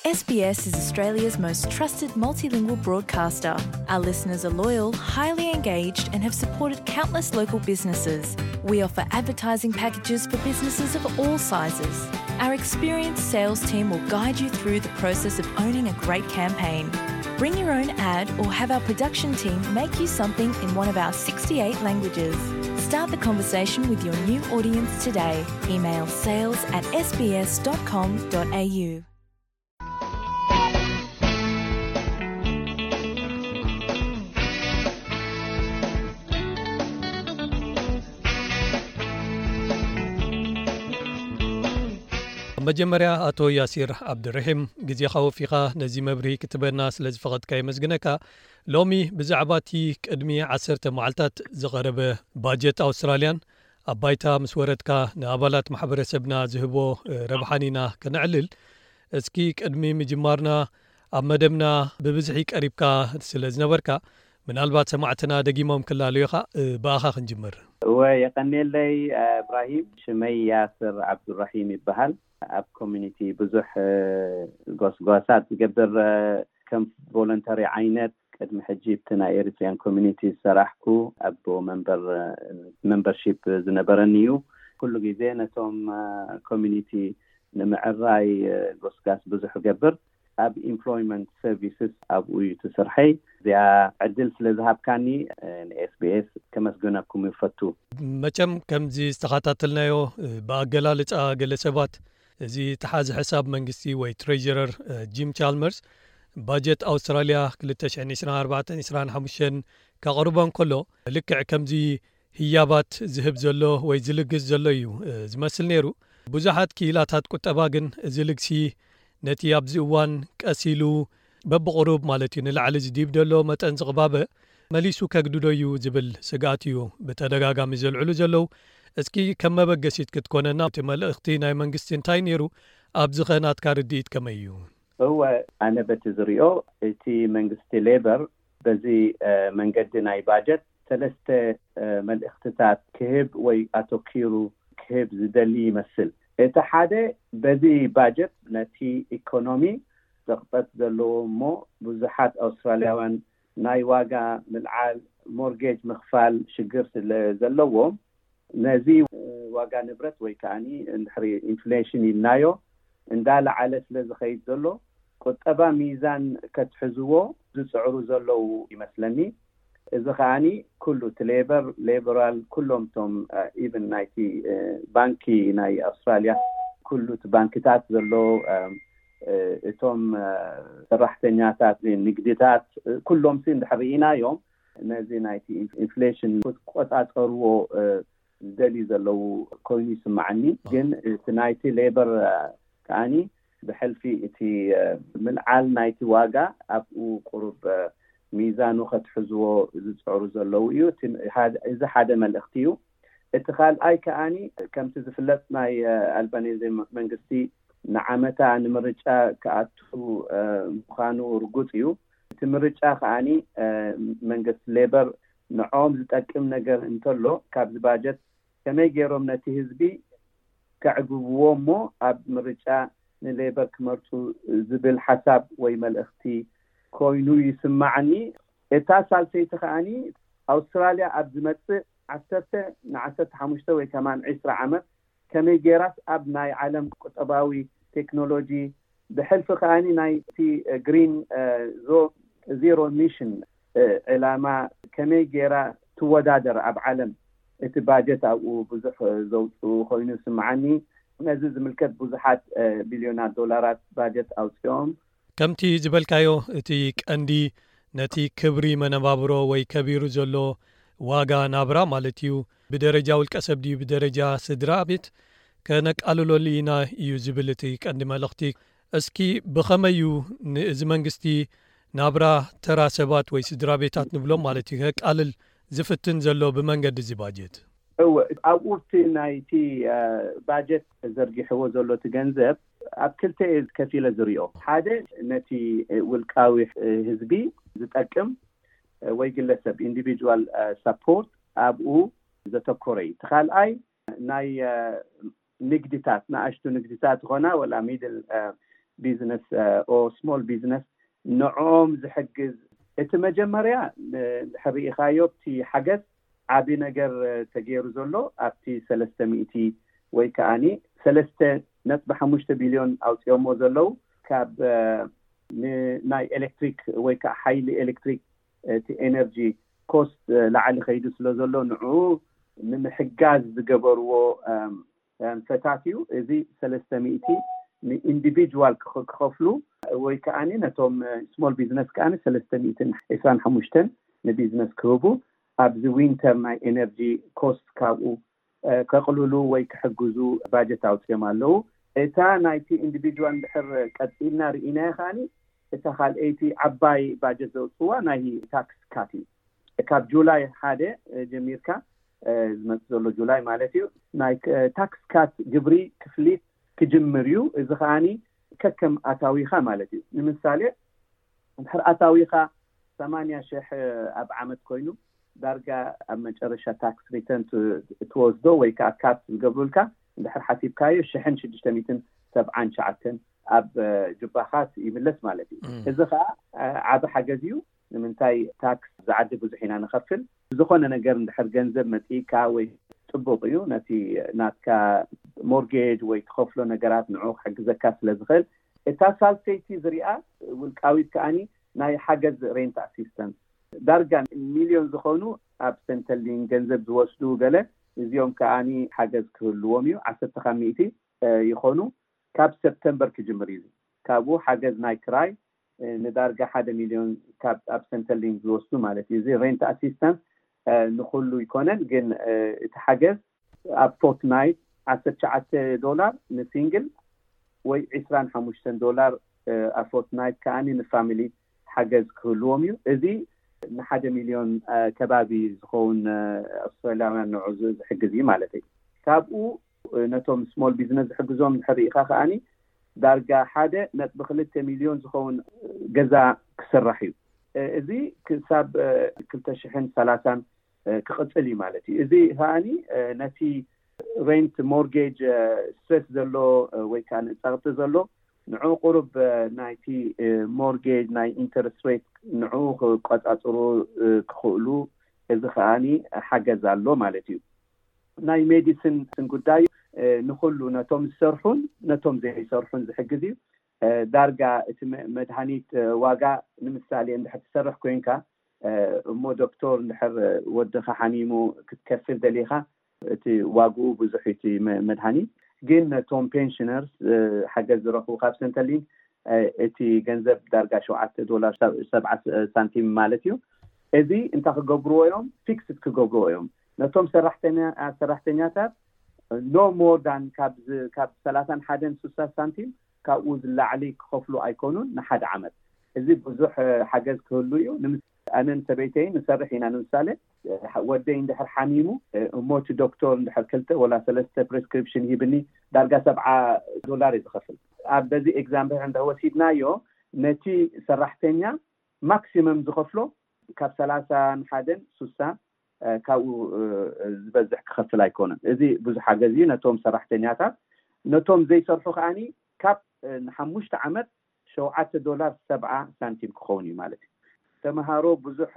S B S is Australia's most trusted multilingual broadcaster. Our listeners are loyal, highly engaged, and have supported countless local businesses. We offer advertising packages for businesses of all sizes. Our experienced sales team will guide you through the process of owning a great campaign. Bring your own ad or have our production team make you something in one of our sixty-eight languages. Start the conversation with your new audience today. Email sales at S B S dot com dot A U. መጀመርያ ኣቶ ያሲር ዓብድርሒም፣ ግዜኻ ወፊኻ ነዚ መብርሂ ክትበና ስለ ዝፈቐድካ የመስግነካ። ሎሚ ብዛዕባ እቲ ቅድሚ ዓሰርተ መዓልታት ዝቐረበ ባጀት ኣውስትራልያን ኣብ ባይታ ምስ ወረድካ ንኣባላት ማሕበረሰብና ዝህቦ ረብሓን ኢና ከነዕልል። እስኪ ቅድሚ ምጅማርና ኣብ መደብና ብብዝሒ ቀሪብካ ስለ ዝነበርካ ምናልባት ሰማዕትና ደጊሞም ክላለዩኻ ብኣኻ ክንጅምር። እወ የቐኔለይ እብራሂም። ሽመይ ያስር ዓብዱራሂም ይበሃል። ኣብ ኮሚኒቲ ብዙሕ ጎስጓሳት ዝገብር ከም ቮለንተሪ ዓይነት ቅድሚ ሕጂ ብቲ ናይ ኤሪትሪያን ኮሚኒቲ ዝሰራሕኩ ኣቦ መንበር መንበርሺፕ ዝነበረኒ እዩ። ኩሉ ግዜ ነቶም ኮሚኒቲ ንምዕራይ ጎስጋስ ብዙሕ ገብር። ኣብ ኢምፕሎይመንት ሰርቪስስ ኣብኡ እዩ ትስርሐይ። እዚኣ ዕድል ስለ ዝሃብካኒ ንኤስቢኤስ ከመስግነኩም ይፈቱ። መቸም ከምዚ ዝተኸታተልናዮ ብኣገላልፃ ገለ ሰባት እዚ ተሓዚ ሕሳብ መንግስቲ ወይ ትሬጀረር ጂም ቻልመርስ ባጀት ኣውስትራልያ ክልተ ሽሕን ዕስራን ኣርባዕተን ዕስራን ሓሙሽተን ከቕርቦ እንከሎ ልክዕ ከምዚ ህያባት ዝህብ ዘሎ ወይ ዝልግስ ዘሎ እዩ ዝመስል ነይሩ። ብዙሓት ክኢላታት ቁጠባ ግን እዚ ልግሲ ነቲ ኣብዚ እዋን ቀስ ኢሉ በብቕሩብ ማለት እዩ ንላዕሊ ዝዲብ ዘሎ መጠን ዝቕባበ መሊሱ ከግድዶ እዩ ዝብል ስግኣት እዩ ብተደጋጋሚ ዘልዕሉ ዘለዉ። እስኪ ከም መበገሲት ክትኮነና እቲ መልእኽቲ ናይ መንግስቲ እንታይ ነይሩ? ኣብዚ ኸ ናትካ ርድኢት ከመይ እዩ? እወ፣ ኣነ በቲ ዝሪኦ እቲ መንግስቲ ሌበር በዚ መንገዲ ናይ ባጀት ሰለስተ መልእኽትታት ክህብ ወይ ኣተኪሩ ክህብ ዝደሊ ይመስል። እቲ ሓደ በዚ ባጀት ነቲ ኢኮኖሚ ዘቕጠት ዘለዎ እሞ ብዙሓት ኣውስትራልያውያን ናይ ዋጋ ምልዓል ሞርጌጅ ምኽፋል ሽግር ስለ ዘለዎም ነዚ ዋጋ ንብረት ወይ ከዓኒ እንድሕሪ ኢንፍሌሽን ኢልናዮ እንዳለዓለ ስለ ዝኸይድ ዘሎ ቁጠባ ሚዛን ከትሕዝዎ ዝፅዕሩ ዘለዉ ይመስለኒ። እዚ ከዓኒ ኩሉ እቲ ሌበር ሌበራል ኩሎም እቶም ኢቨን ናይቲ ባንኪ ናይ ኣውስትራልያ ኩሉ እቲ ባንክታት ዘሎ እቶም ሰራሕተኛታት ንግድታት ኩሎም ሲ እንድሕር ርኢናዮም ነዚ ናይቲ ኢንፍሌሽን ክትቆፃፀርዎ ዝደልዩ ዘለዉ ኮይኑ ይስማዓኒ። ግን እቲ ናይቲ ሌበር ከዓኒ ብሕልፊ እቲ ምልዓል ናይቲ ዋጋ ኣብኡ ቁሩብ ሚዛኑ ከትሕዝዎ ዝፅዕሩ ዘለዉ እዩ። እዚ ሓደ መልእኽቲ እዩ። እቲ ካልኣይ ከዓኒ ከምቲ ዝፍለጥ ናይ ኣልባኔዘ መንግስቲ ንዓመታ ንምርጫ ክኣቱ ምዃኑ ርጉፅ እዩ። እቲ ምርጫ ከዓኒ መንግስቲ ሌበር ንዖም ዝጠቅም ነገር እንተሎ ካብዚ ባጀት ከመይ ገይሮም ነቲ ህዝቢ ከዕግብዎ እሞ ኣብ ምርጫ ንሌበር ክመርፁ ዝብል ሓሳብ ወይ መልእኽቲ ኮይኑ ይስማዓኒ። እታ ሳልሰይቲ ከዓኒ ኣውስትራልያ ኣብ ዝመፅእ ዓሰርተ ንዓሰርተ ሓሙሽተ ወይ ከማን ዕስራ ዓመት ከመይ ገይራስ ኣብ ናይ ዓለም ቁጠባዊ ቴክኖሎጂ ብሕልፊ ከዓኒ ናይቲ ግሪን ዜሮ ኢሚሽን ዕላማ ከመይ ገይራ ትወዳደር ኣብ ዓለም? እቲ ባጀት ኣብኡ ብዙሕ ዘውፅኡ ኮይኑ ስምዓኒ። ነዚ ዝምልከት ብዙሓት ቢልዮናት ዶላራት ባጀት ኣውፅኦም። ከምቲ ዝበልካዮ እቲ ቀንዲ ነቲ ክብሪ መነባብሮ ወይ ከቢሩ ዘሎ ዋጋ ናብራ ማለት እዩ ብደረጃ ውልቀ ሰብ ድዩ ብደረጃ ስድራ ቤት ከነቃልለሉ ኢና እዩ ዝብል እቲ ቀንዲ መልእኽቲ። እስኪ ብኸመይ እዩ ንእዚ መንግስቲ ናብራ ተራ ሰባት ወይ ስድራ ቤታት ንብሎም ማለት እዩ ከቃልል ዝፍትን ዘሎ ብመንገዲ እዚ ባጀት? እወ፣ ኣብኡ እቲ ናይቲ ባጀት ተዘርጊሕዎ ዘሎ እቲ ገንዘብ ኣብ ክልተ እየ ከፊለ ዝሪኦ። ሓደ ነቲ ውልቃዊ ህዝቢ ዝጠቅም ወይ ግለሰብ ኢንዲቪጁዋል ሰፖርት ኣብኡ ዘተኮረ እዩ። እቲ ካልኣይ ናይ ንግድታት ንኣሽቱ ንግድታት ዝኾና ወላ ሚድል business or small business ንዕኦም ዝሕግዝ። እቲ መጀመርያ ንሕርኢኻዮ እቲ ሓገዝ ዓቢ ነገር ተገይሩ ዘሎ ኣብቲ ሰለስተ ሚእቲ ወይ ከዓኒ ሰለስተ ነጥቢ ሓሙሽተ ቢልዮን ኣውፅኦሞ ዘለዉ ካብ ናይ ኤሌክትሪክ ወይ ከዓ ሓይሊ ኤሌክትሪክ እቲ ኤነርጂ ኮስት ላዕሊ ከይዱ ስለ ዘሎ ንዕኡ ንምሕጋዝ ዝገበርዎ ፈታት እዩ። እዚ ሰለስተ ሚእቲ ንኢንዲቪጁዋል ክኸፍሉ ወይ ከዓ ነቶም ስሞል ቢዝነስ ከዓ ሰለስተ ሚእትን ዕስራን ሓሙሽተን ንቢዝነስ ክህቡ ኣብዚ ዊንተር ናይ ኤነርጂ ኮስት ካብኡ ከቕልሉ ወይ ክሕግዙ ባጀት ኣውፅኦም ኣለዉ። እታ ናይቲ ኢንዲቪጁዋል እንድሕር ቀፂልና ርኢናዮ ከዓኒ እታ ካልኣይቲ ዓባይ ባጀት ዘውፅዋ ናይ ታክስ ካት እዩ። ካብ ጁላይ ሓደ ጀሚርካ ዝመፅእ ዘሎ ጁላይ ማለት እዩ ናይ ታክስ ካት ግብሪ ክፍሊት ክጅምር እዩ። እዚ ከዓኒ ከከም ኣታዊኻ ማለት እዩ። ንምሳሌ እንድሕር ኣታዊኻ ሰማንያ ሽሕ ኣብ ዓመት ኮይኑ ዳርጋ ኣብ መጨረሻ ታክስ ሪተርን ትወስዶ ወይ ከዓ ካት ዝገብሩልካ እንድሕር ሓሲብካዮ ሽሕን ሽዱሽተ ሚእትን ሰብዓን ሸዓተን ኣብ ጁባኻት ይምለስ ማለት እዩ። እዚ ከዓ ዓቢ ሓገዝ እዩ። ንምንታይ ታክስ ዝዓዲ ብዙሕ ኢና ንኸፍል። ዝኾነ ነገር እንድሕር ገንዘብ መፅእካ ወይ ፅቡቕ እዩ። ነቲ ናትካ ሞርጌጅ ወይ ትኸፍሎ ነገራት ንዑ ክሕግዘካ ስለ ዝኽእል እታ ሳልሰይቲ ዝሪኣ ውልቃዊት ከዓኒ ናይ ሓገዝ ሬንት ኣሲስተንስ ዳርጋ ሚልዮን ዝኾኑ ኣብ ሰንተሊን ገንዘብ ዝወስዱ ገለ እዚኦም ከዓኒ ሓገዝ ክህልዎም እዩ። ዓሰርተ ካብ ሚእቲ ይኾኑ። ካብ ሰፕተምበር ክጅምር እዩ። ካብኡ ሓገዝ ናይ ክራይ ንዳርጋ ሓደ ሚልዮን ካብ ኣብ ሰንተሊን ዝወስዱ ማለት እዩ። እዚ ሬንት ኣሲስተንስ ንኩሉ ይኮነን፣ ግን እቲ ሓገዝ ኣብ ፎርትናይት ዓሰርተ ትሽዓተ ዶላር ንሲንግል ወይ ዕስራን ሓሙሽተን ዶላር ኣብ ፎርትናይት ከዓኒ ንፋሚሊ ሓገዝ ክህልዎም እዩ። እዚ ንሓደ ሚልዮን ከባቢ ዝኸውን ኣውስትራሊያውያን ንዑ ዝሕግዝ እዩ ማለት እዩ። ካብኡ ነቶም ስሞል ቢዝነስ ዝሕግዞም እንድሕር ርኢኻ ከዓኒ ዳርጋ ሓደ ነጥቢ ክልተ ሚልዮን ዝኸውን ገዛ ክስራሕ እዩ። እዚ ክሳብ ክልተ ሽሕን ሰላሳን ክቕፅል እዩ ማለት እዩ። እዚ ከዓኒ ነቲ ሬንት ሞርጌጅ ስትረስ ዘሎ ወይ ከዓ ንፀቕጢ ዘሎ ንዑ ቁሩብ ናይቲ ሞርጌጅ ናይ ኢንተረስት ሬት ንዑ ክቆፃፅሩ ክኽእሉ እዚ ከዓኒ ሓገዝ ኣሎ ማለት እዩ። ናይ ሜዲሲን ጉዳይ ንኩሉ ነቶም ዝሰርሑን ነቶም ዘይሰርሑን ዝሕግዝ እዩ። ዳርጋ እቲ መድሃኒት ዋጋ ንምሳሌ እንድሕር ትሰርሕ ኮይንካ እሞ ዶክተር እንድሕር ወድኻ ሓሚሙ ክትከፍል ደሊኻ እቲ ዋግኡ ብዙሕ እቲ መድሃኒት ግን ነቶም ፔንሽነርስ ሓገዝ ዝረኽቡ ካብ ሰንተሊን እቲ ገንዘብ ዳርጋ ሸውዓተ ዶላር ሰብዓ ሳንቲም ማለት እዩ። እዚ እንታይ ክገብርዎ እዮም? ፊክስድ ክገብርዎ እዮም። ነቶም ሰራሕተኛታት no more than ካብ ሰላሳን ሓደን ስሳ ሳንቲም ካብኡ ዝላዕሊ ክኸፍሉ ኣይኮኑን ንሓደ ዓመት። እዚ ብዙሕ ሓገዝ ክህሉ እዩ። ኣነን ሰበይተይን ንሰርሕ ኢና። ንምሳሌ ወደይ እንድሕር ሓሚሙ እሞ እቲ ዶክተር እንድሕር ክልተ ወላ ሰለስተ ፕሪስክሪፕሽን ሂብኒ ዳርጋ ሰብዓ ዶላር እዩ ዝኸፍል። ኣብ በዚ ኤግዛምፕል እንተ ወሲድናዮ ነቲ ሰራሕተኛ ማክሲመም ዝኸፍሎ ካብ ሰላሳን ሓደን ስሳ ካብኡ ዝበዝሕ ክኸፍል ኣይኮነን። እዚ ብዙሕ ሓገዝ እዩ ነቶም ሰራሕተኛታት። ነቶም ዘይሰርሑ ከዓኒ ካብ ንሓሙሽተ ዓመት ሸውዓተ ዶላር ሰብዓ ሳንቲም ክኸውን እዩ ማለት እዩ። ተምሃሮ ብዙሕ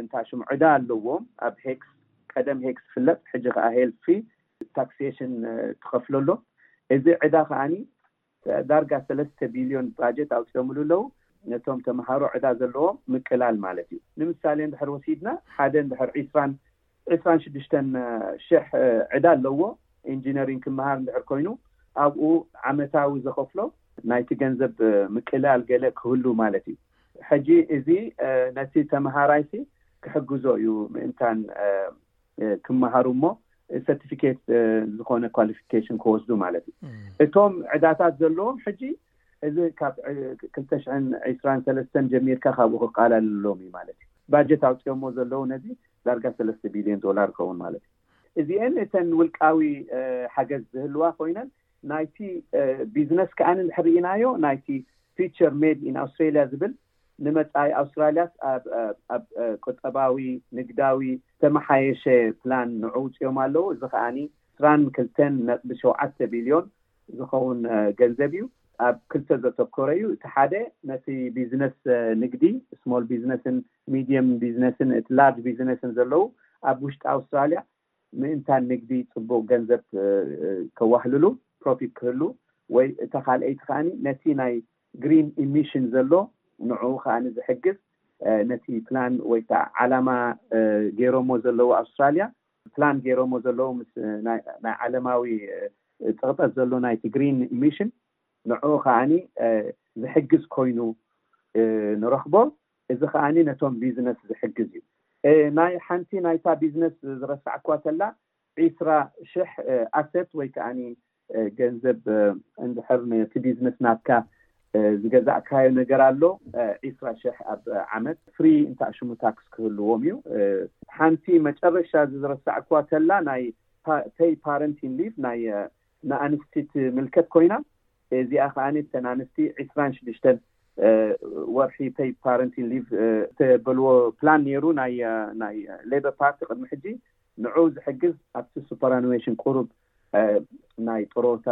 እንታ ሽም ዕዳ ኣለዎም ኣብ ሄክስ፣ ቀደም ሄክስ ፍለጥ፣ ሕጂ ከዓ ሄልፊ ታክሴሽን ትኸፍለሎ። እዚ ዕዳ ከዓኒ ዳርጋ ሰለስተ ቢልዮን ባጀት ኣውፅኦምሉ ኣለዉ። ነቶም ተምሃሮ ዕዳ ዘለዎም ምቅላል ማለት እዩ። ንምሳሌ እንድሕር ወሲድና ሓደ እንድሕር ዒስራን ዕስራን ሽዱሽተን ሽሕ ዕዳ ኣለዎ። ኢንጂነሪንግ ክመሃር እንድሕር ኮይኑ ኣብኡ ዓመታዊ ዘኸፍሎ ናይቲ ገንዘብ ምቅላል ገለ ክህሉ ማለት እዩ። ሕጂ እዚ ነቲ ተምሃራይሲ ክሕግዞ እዩ ምእንታን ክመሃሩ እሞ ሰርቲፊኬት ዝኾነ ኳሊፊኬሽን ክወስዱ ማለት እዩ። እቶም ዕዳታት ዘለዎም ሕጂ እዚ ካብ ክልተ ሽሕን ዕስራን ሰለስተን ጀሚርካ ካብኡ ክቃላለሎም እዩ ማለት እዩ። ባጀት ኣውፅኦሞ ዘለዉ ነዚ ዳርጋ ሰለስተ ቢልዮን ዶላር ክኸውን ማለት እዩ። እዚአን እተን ውልቃዊ ሓገዝ ዝህልዋ ኮይነን ናይቲ ቢዝነስ ከዓን እንድሕር ርኢናዮ ናይቲ ፊቸር ሜድ ኢን ኣውስትራሊያ ዝብል ንመጻኢ ኣውስትራሊያስ ኣብ ቁጠባዊ ንግዳዊ ዝተመሓየሸ ፕላን ንዑ ውፅኦም ኣለዉ። እዚ ከዓኒ ዕስራን ክልተን ነጥቢ ሸውዓተ ቢልዮን ዝኸውን ገንዘብ እዩ። ኣብ ክልተ ዘተኮረ እዩ። እቲ ሓደ ነቲ ቢዝነስ ንግዲ፣ ስሞል ቢዝነስን ሚዲየም ቢዝነስን እቲ ላርጅ ቢዝነስን ዘለዉ ኣብ ውሽጢ ኣውስትራልያ ምእንታን ንግዲ ጽቡቕ ገንዘብ ከዋህልሉ፣ ፕሮፊት ክህሉ፣ ወይ እታ ካልኣይቲ ከኣ ነቲ ናይ ግሪን ኢሚሽን ዘሎ ንዕኡ ከኣ ዝሕግዝ ነቲ ፕላን ወይ ከዓ ዓላማ ገይሮሞ ዘለዉ ኣውስትራልያ ፕላን ገይሮሞ ዘለዉ ምስ ናይ ዓለማዊ ጽቕጠት ዘሎ ናይቲ ግሪን ኢሚሽን ንዕኡ ከኣ ዝሕግዝ ኮይኑ ንረኽቦ። እዚ ከኣ ነቶም ቢዝነስ ዝሕግዝ እዩ። ናይ ሓንቲ ናይታ ቢዝነስ ዝረሳዕኳ ተላ ዒስራ ሽሕ ኣሰት ወይ ከዓ ገንዘብ እንድሕር ነቲ ቢዝነስ ናትካ ዝገዛእካዮ ነገር ኣሎ፣ ዒስራ ሽሕ ኣብ ዓመት ፍሪ እንተኣሽሙ ታክስ ክህልዎም እዩ። ሓንቲ መጨረሻ ዝረሳዕኳ ተላ ናይ ፔይ ፓረንቲን ሊቭ ናይ ንኣንስቲ ትምልከት ኮይና፣ እዚኣ ከኣ እተን ኣንስቲ ዒስራን ሽዱሽተን ወርሒ ፔይ ፓረንቲን ሊቭ ተበልዎ ፕላን ነይሩ ናይ ሌበር ፓርቲ ቅድሚ ሕጂ። ንዑ ዝሕግዝ ኣብቲ ሱፐራኑዌሽን ቁሩብ ናይ ጥሮታ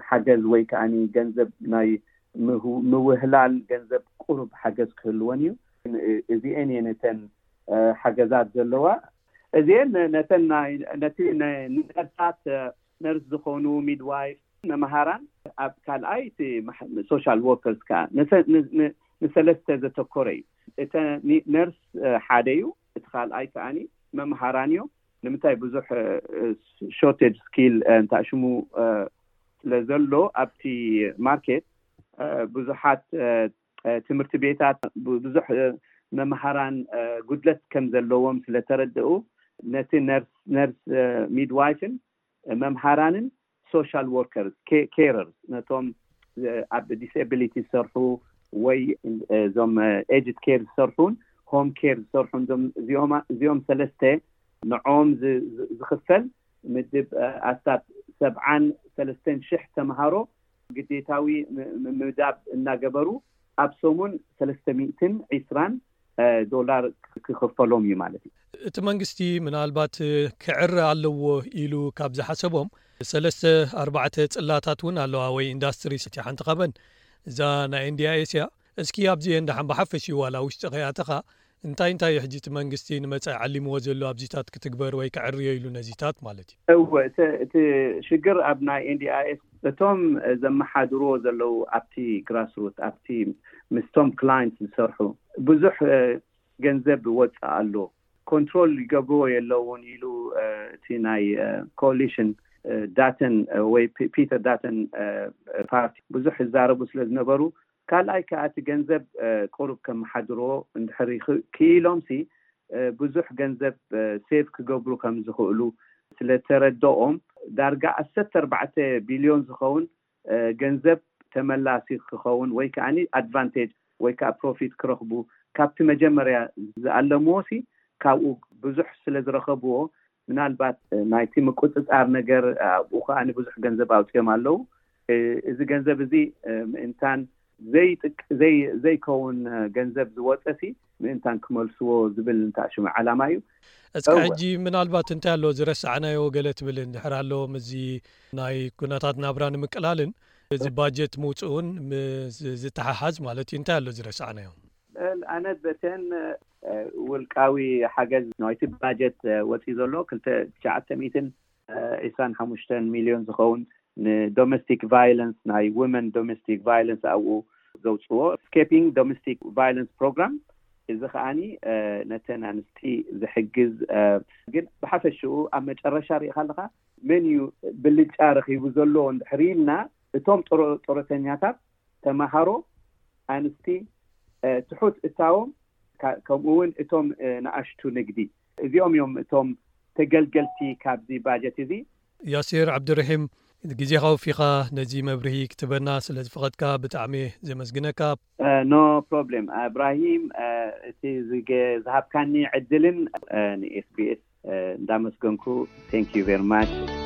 ሓገዝ ወይ ከዓ ገንዘብ ናይ ምውህላል ገንዘብ ቁሩብ ሓገዝ ክህልወን እዩ። እዚአን እየን እተን ሓገዛት ዘለዋ። እዚአን ነተን ነቲ ነርሳት፣ ነርስ ዝኾኑ፣ ሚድዋይፍ፣ መምሃራን፣ ኣብ ካልኣይ እቲ ሶሻል ወርከርስ ከዓ ንሰለስተ ዘተኮረ እዩ። እተ ነርስ ሓደ እዩ። እቲ ካልኣይ ከዓኒ መምሃራን እዮም። ንምንታይ ብዙሕ ሾርቴጅ ስኪል እንታሽሙ ስለዘሎ ኣብቲ ማርኬት ብዙሓት ትምህርቲ ቤታት ብዙሕ መምሃራን ጉድለት ከም ዘለዎም ስለተረድኡ ነቲ ነርስ ሚድዋይፍን መምሃራንን ሶሻል ወርከርስ ኬረርስ ነቶም ኣብ ዲስቢሊቲ ዝሰርሑ ወይ እዞም ኤጅድ ኬር ዝሰርሑን ሆም ኬር ዝሰርሑን እዚኦም ሰለስተ ንዕኦም ዝኽፈል ምድብ ኣስታት ሰብዓን ሰለስተን ሽሕ ተምሃሮ ግዴታዊ ምምዳብ እናገበሩ ኣብ ሰሙን ሰለስተ ሚእትን ዒስራን ዶላር ክኽፈሎም እዩ ማለት እዩ። እቲ መንግስቲ ምናልባት ክዕረ ኣለዎ ኢሉ ካብ ዝሓሰቦም ሰለስተ ኣርባዕተ ፅላታት እውን ኣለዋ ወይ ኢንዳስትሪ ሓንቲ ካብን እዛ ናይ ኤንዲኣይኤስ እያ። እስኪ ኣብዚአን ደሓን ብሓፈሽኡ ዋላ ውሽጢ ከይኣተኻ እንታይ እንታይ ሕጂ እቲ መንግስቲ ንመጻኢ ዓሊምዎ ዘሎ ኣብዚታት ክትግበር ወይ ክዕርዮ ኢሉ ነዚታት ማለት እዩ? እወ፣ እቲ ሽግር ኣብ ናይ ኤንዲኣይኤስ እቶም ዘመሓድርዎ ዘለዉ ኣብቲ ግራስሩት ኣብቲ ምስቶም ክላይንት ዝሰርሑ ብዙሕ ገንዘብ ወፅእ ኣሎ። ኮንትሮል ይገብርዎ የለውን ኢሉ እቲ ናይ ኮሊሽን ዳተን ወይ ፒተር ዳተን ፓርቲ ብዙሕ ይዛረቡ ስለዝነበሩ ካልኣይ ከዓ እቲ ገንዘብ ቁሩብ ከመሓድርዎ እንድሕር ክኢሎም ሲ ብዙሕ ገንዘብ ሴቭ ክገብሩ ከም ዝኽእሉ ስለተረደኦም ዳርጋ ዓሰርተ ኣርባዕተ ቢልዮን ዝኸውን ገንዘብ ተመላሲ ክኸውን ወይ ከዓ ኣድቫንቴጅ ወይ ከዓ ፕሮፊት ክረኽቡ ካብቲ መጀመርያ ዝኣለምዎ ሲ ካብኡ ብዙሕ ስለዝረኸብዎ ምናልባት ናይቲ ምቁፅፃር ነገር ኣብኡ ከዓ ብዙሕ ገንዘብ ኣውፅኦም ኣለዉ። እዚ ገንዘብ እዚ ምእንታን ዘይከውን ገንዘብ ዝወፀ ሲ ምእንታን ክመልስዎ ዝብል እንተኣሽሙ ዓላማ እዩ። እስከ ሕጂ ምናልባት እንታይ ኣሎ ዝረሳዕናዮ ገለ ትብል እንድሕር ኣሎ ምስዚ ናይ ኩነታት ናብራ ንምቅላልን እዚ ባጀት ምውፅኡን ዝተሓሓዝ ማለት እዩ እንታይ ኣሎ ዝረሳዕናዮ? ኣነ በተን ውልቃዊ ሓገዝ ናይቲ ባጀት ወፂ ዘሎ ክልተ ትሽዓተ ሚእትን ዒስራን ሓሙሽተን ሚልዮን ዝኸውን ንዶሜስቲክ ቫይለንስ ናይ ዊመን ዶሜስቲክ ቫይለንስ ኣብኡ ዘውፅዎ ስኬፒንግ ዶሜስቲክ ቫይለንስ ፕሮግራም እዚ ከዓኒ ነተን ኣንስቲ ዝሕግዝ ግን ብሓፈሽኡ ኣብ መጨረሻ ርኢኻ ኣለካ መን እዩ ብልጫ ረኺቡ ዘሎ እንድሕር ኢልና እቶም ጡረተኛታት ተምሃሮ ኣንስቲ ትሑት እታዎም ከምኡ እውን እቶም ንኣሽቱ ንግዲ እዚኦም እዮም እቶም ተገልገልቲ ካብዚ ባጀት እዚ። ያሲር ዓብድርሒም ግዜኻ ወፊኻ ነዚ መብርሂ ክትበና ስለ ዝፈቐድካ ብጣዕሚ ዘመስግነካ። ኖ ፕሮብሌም እብራሂም፣ እቲ ዝሃብካኒ ዕድልን ንኤስቢኤስ እንዳመስገንኩ። Thank you very much።